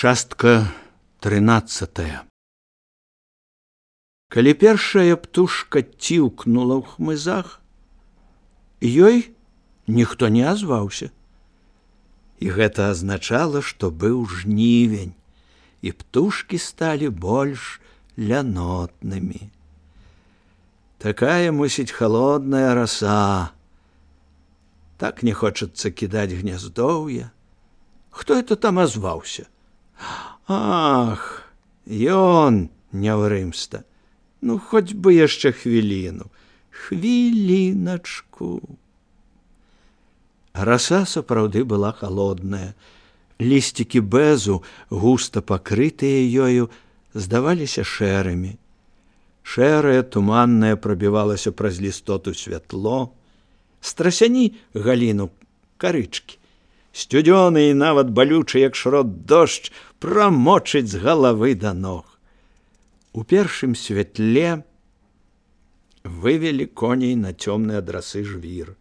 Частка 13. Калі першая птушка ціўкнула ў хмызах, ёй ніхто не азваўся. І гэта азначала, што быў жнівень, і птушкі сталі больш лянотнымі. Такая, мусіць, халодная раса. Так не хочацца кідаць гняздоўе. Хто это там азваўся? Ах, ён няўрымста. Ну, хоць бы яшчэ хвіліну. Хвіліначку. Раса сапраўды была халодная. Лісцікі бэзу, густа пакрытыя ёю, здаваліся шэрымі. Шэрае, туманнае прабівалася праз лістоту святло. Страсяні галіну карычкі. Сцюдзёны і нават балючы, як шрот дождж, прамочыць з галавы да ног. У першым святле вывелі коней на цёмны ад расы жвір.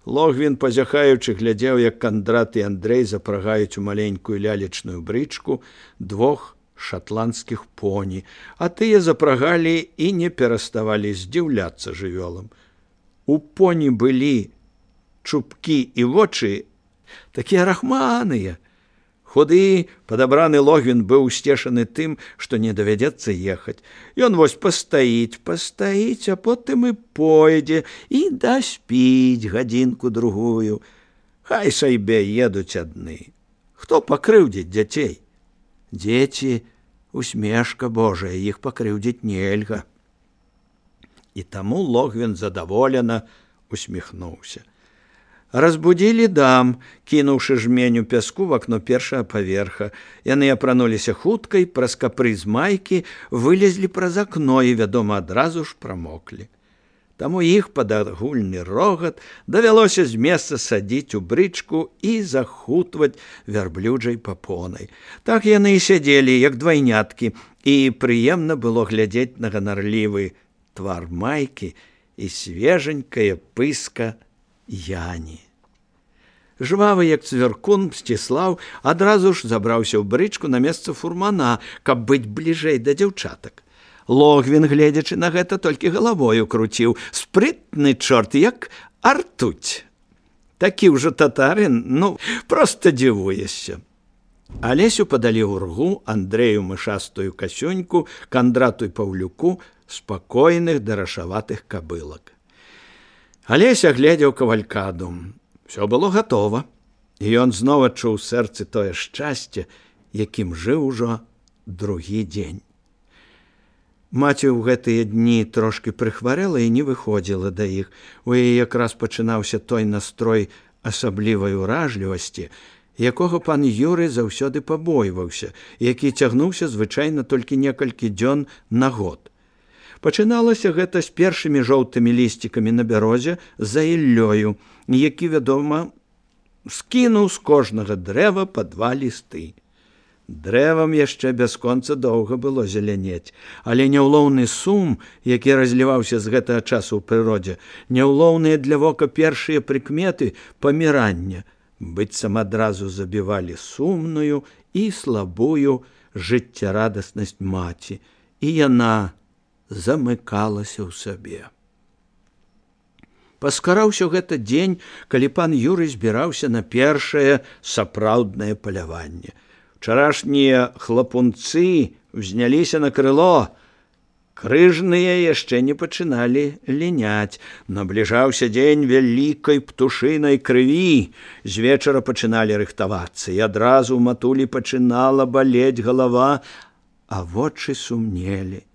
Логвін, пазяхаючы, глядзеў, як Кандрат і Андрэй запрагаюць у маленькую лялечную брычку двух шатландскіх поні, а тыя запрагалі і не пераставалі здзіўляцца жывёлам. У поні былі чубкі і вочы такія рахманыя. Худы, падабраны Логвін быў усцешаны тым, што не давядзецца ехаць. Ён вось пастаіць, а потым і пойдзе і даспіць гадзінку-другую. Хай сабе едуць адны. Хто пакрыўдзіць дзяцей? Дзеці — усмешка Божая, іх пакрыўдзіць нельга. І таму Логвін задаволена усміхнуўся. Разбудзілі дам, кінуўшы жменю пяску в акно першага паверха. Яны апрануліся хутка і праз капрыз майкі вылезлі праз акно і, вядома, адразу ж прамоклі. Таму іх пад агульны рогат давялося з месца садзіць у брычку і захутваць вярблюджай папонай. Так яны і сядзелі, як двайняткі, і прыемна было глядзець на ганарлівы твар майкі і свеженькая пыска Яні. Жвавы, як цвіркун, Мсціслаў адразу ж забраўся ў брычку на месца фурмана, каб быць бліжэй да дзяўчатак. Логвін, гледзячы на гэта, толькі галавою круціў. Спрытны чорт, як артуць. Такі ўжо татарын, ну, проста дзівуешся. Алесю падалі ў ргу, Андрэю мышастую касюньку, Кандрату і Паўлюку спакойных дарашаватых кабылак. Алеся глядзеў кавалькаду. Всё было гатова, і ён зноў адчуў у сэрцы тое шчасце, якім жыў ужо другі дзень. Маці ў гэтыя дні трошкі прыхварэла і не выходзіла да іх. У яе якраз пачынаўся той настрой асаблівай уражлівасці, якога пан Юрый заўсёды пабойваўся, які цягнуўся звычайна толькі некалькі дзён на год. Пачыналася гэта з першымі жоўтымі лісцікамі на бярозе за Іллёю, які, вядома, скінуў з кожнага дрэва па 2 лісты. Дрэвам яшчэ бясконца доўга было зелянець, але няўлоўны сум, які разліваўся з гэтага часу ў прыродзе, няўлоўныя для вока першыя прыкметы памірання, быццам адразу забівалі сумную і слабую жыццярадаснасць маці, і яна замыкалася ў сабе. Паскараўся гэта дзень, калі пан Юрый збіраўся на першае сапраўднае паляванне. Учарашнія хлапунцы ўзняліся на крыло. Крыжныя яшчэ не пачыналі ліняць. Набліжаўся дзень вялікай птушынай крыві. З вечара пачыналі рыхтавацца, і адразу ў матулі пачынала балець галава, а вочы сумнелі.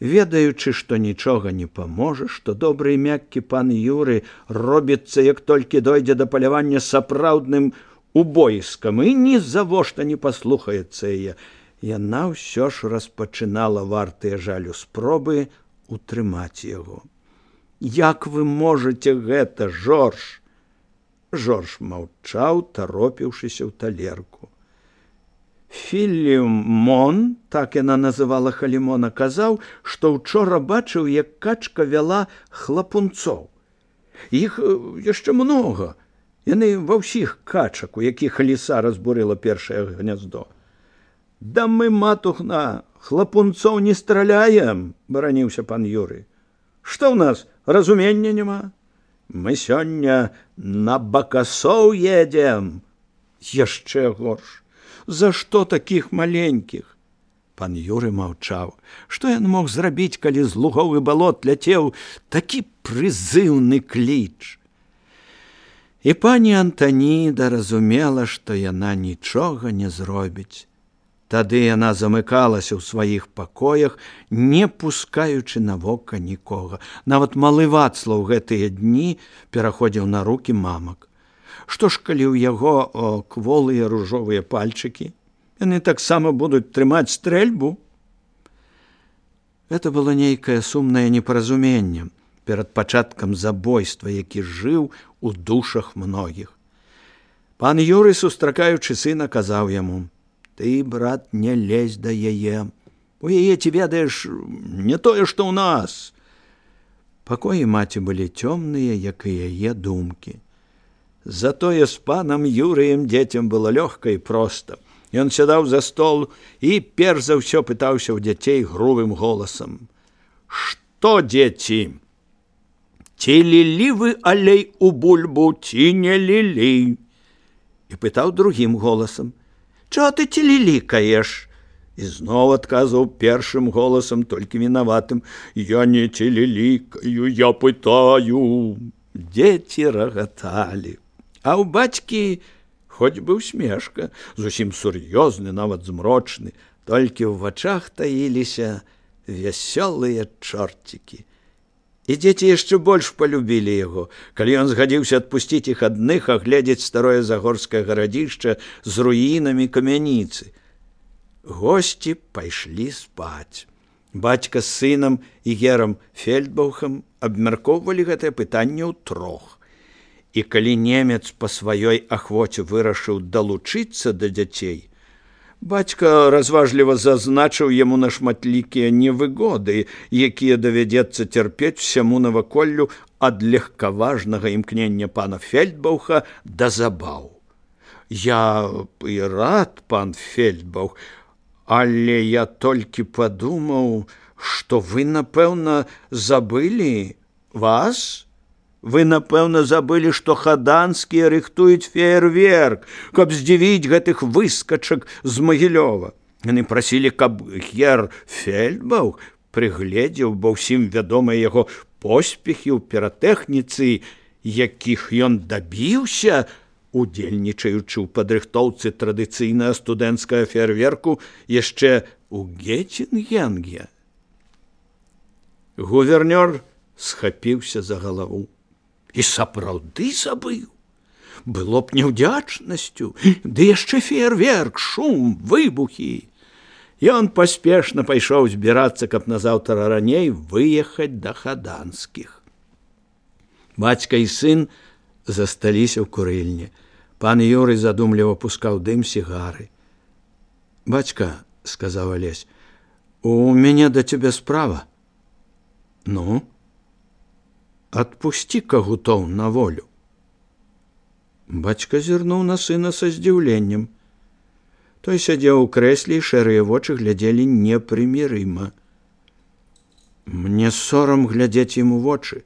Ведаючы, што нічога не паможа, што добры і мяккі пан Юры робіцца, як толькі дойдзе да палявання сапраўдным убоіскам, і ні завошта не паслухаецца яе, яна ўсё ж распачынала вартыя жалю спробы утрымаць яго. «Як вы можаце гэта, Жорж?» Жорж маўчаў, таропіўшыся ў талерку. Філімон, так яна называла Халімона, казаў, што ўчора бачыў, як качка вяла хлапунцоў. Іх яшчэ многа. Яны ва ўсіх качак, у якіх ліса разбурыла першае гняздо. Да мы, матухна, хлапунцоў не страляем, бараніўся пан Юрый. Што ў нас, разумення няма? Мы сёння на бакасоў едзем. Яшчэ горш. За што такіх маленькіх? Пан Юрый маўчаў. Што ён мог зрабіць, калі з лугоў і балот ляцеў такі прызыўны кліч? І пані Антаніда разумела, што яна нічога не зробіць. Тады яна замыкалася ў сваіх пакоях, не пускаючы на вока нікога. Нават малы Вацлаў гэтыя дні пераходзіў на рукі мамак. Што ж, калі ў яго кволыя ружовыя пальчыкі? Яны таксама будуць трымаць стрэльбу? Гэта было нейкае сумнае непаразуменне перад пачаткам забойства, які жыў у душах многіх. Пан Юрый, сустракаючы сына, казаў яму: «Ты, брат, не лезь да яе. У яе, ці ведаеш, не тое, што ў нас». Пакоі маці былі цёмныя, як і яе думкі. Затое з панам Юрыем дзецям было лёгка і проста. Ён сядаў за стол і перш за ўсё пытаўся ў дзяцей грубым голасам: «Што, дзеці, ці лілі вы алей у бульбу, ці не лілі?» І пытаў другім голасам: «Чого ты целелікаеш?» І зноў адказваў першым голасам, толькі вінаватым: «Я не целелікаю, я пытаю». Дзеці рагаталі. А ў бацькі хоць бы усмешка, зусім сур'ёзны, нават змрочны, толькі ў вачах таіліся вясёлыя чорцікі. І дзеці яшчэ больш палюбілі яго, калі ён згадзіўся адпусціць іх адных агледзець старое загорскае гарадзішча з руінамі камяніцы. Госці пайшлі спаць. Бацька з сынам і герам Фельдбаухам абмяркоўвалі гэтае пытанне ўтрох. І калі немец па сваёй ахвоце вырашыў далучыцца да дзяцей, бацька разважліва зазначыў яму на шматлікія невыгоды, якія давядзецца цярпець усяму наваколлю ад легкаважнага імкнення пана Фельдбауха да забаў. «Я і рад, пан Фельдбаух, але я толькі падумаў, што вы, напэўна, забылі вас? Вы, напэўна, забылі, што хаданскія рыхтуюць феерверк, каб здзівіць гэтых выскачак з Магілёва. Яны прасілі, каб гер Фельдбаух прыгледзеў, бо ўсім вядомыя яго поспехі ў піратэхніцы, якіх ён дабіўся, удзельнічаючы ў падрыхтоўцы традыцыйнага студэнцкага феерверку яшчэ ў Геттінгенге». Гувернёр схапіўся за галаву. І сапраўды забыў. Было б няўдзячнасцю, ды яшчэ феерверк, шум, выбухі. Ён паспешна пайшоў збірацца, каб назаўтра раней выехаць да хаданскіх. Бацька і сын засталіся ў курыльні. Пан Юрый задумліва пускаў дым сігары. «Бацька, — сказаў Алесь, — у мяне да цябе справа». «Ну?» «Отпусти кагутоў на волю». Бацька зірнуў на сына са здзіўленнем. Той сядзеў у крэсле, і шэрыя вочы глядзелі непрымірыма. «Мне сорам глядзець ім у вочы.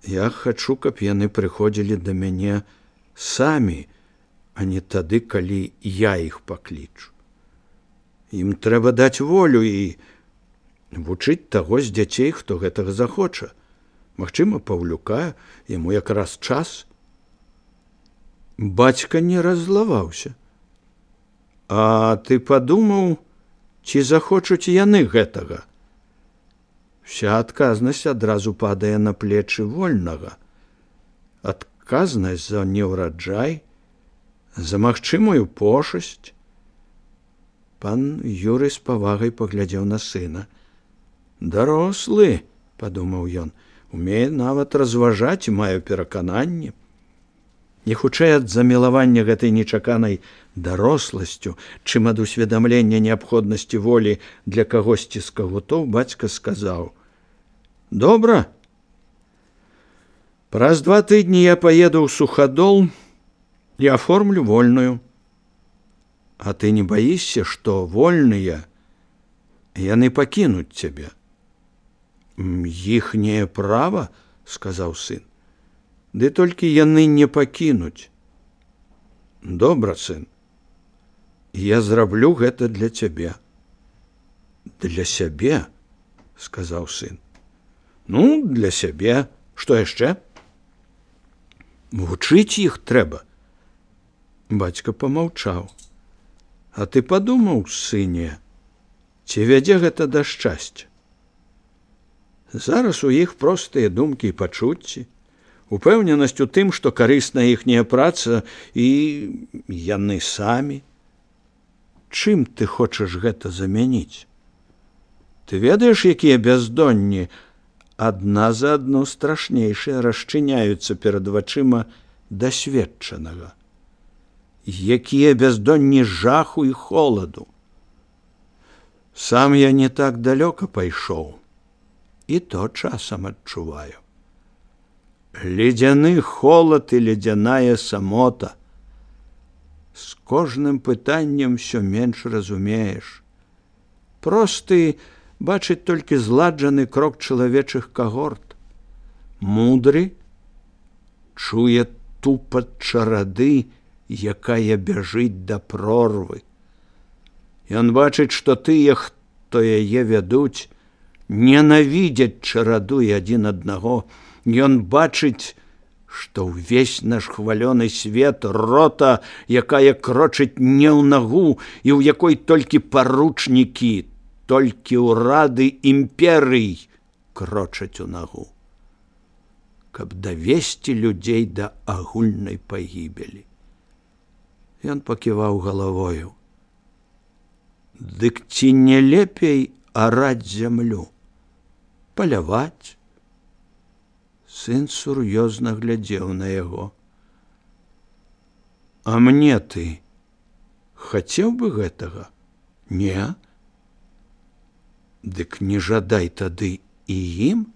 Я хачу, каб яны прыходзілі да мяне самі, а не тады, калі я іх паклічу. Ім трэба даць волю і вучыць таго з дзяцей, хто гэтага захоча. Магчыма, Паўлюка, яму якраз час». Бацька не раззлаваўся. «А ты падумаў, ці захочуць яны гэтага?» Вся адказнасць адразу падае на плечы вольнага. Адказнасць за неўраджай, за магчымую пошасць. Пан Юрый з павагай паглядзеў на сына. «Дарослы, — падумаў ён, — умее нават разважаць і мае перакананне». Не хутчэй ад замілавання гэтай нечаканай даросласцю, чым ад усведамлення неабходнасці волі для кагосьці з кагутоў, бацька сказаў: «Добра. Праз 2 тыдні я паеду ў Сухадол і аформлю вольную». А ты не баішся, што вольныя яны пакінуць цябе? Іхняе права, сказаў сын. Ды толькі яны не пакінуць. Добра, сын. Я зраблю гэта для цябе. Для сябе, сказаў сын. Ну, для сябе. Што яшчэ? Вучыць іх трэба. Бацька памаўчаў. А ты падумаў, сыне, ці вядзе гэта да шчасця? Зараз у іх простыя думкі і пачуцці, упэўненасць у тым, што карысная іхняя праца і яны самі. Чым ты хочаш гэта замяніць? Ты ведаеш, якія бяздонні адна за адну страшнейшыя расчыняюцца перад вачыма дасведчанага? Якія бяздонні жаху і холаду. Сам я не так далёка пайшоў, і то часам адчуваю. Ледзяны холад і ледзяная самота. З кожным пытаннем усё менш разумееш. Просты бачыць толькі зладжаны крок чалавечых кагорт. Мудры чуе тупат чарады, якая бяжыць да прорвы. Ён бачыць, што тыя, хто яе вядуць, ненавідзяць чараду і адзін аднаго. Ён бачыць, што ўвесь наш хвалёны свет рота, якая крочыць не ў нагу і ў якой толькі паручнікі, толькі ўрады імперый крочаць у нагу, каб давесці людзей да агульнай пагібелі. Ён паківаў галавою. Дык ці не лепей араць зямлю, паляваць? Сын сур'ёзна глядзеў на яго. А мне ты хацеў бы гэтага? Не? Дык не жадай тады і ім?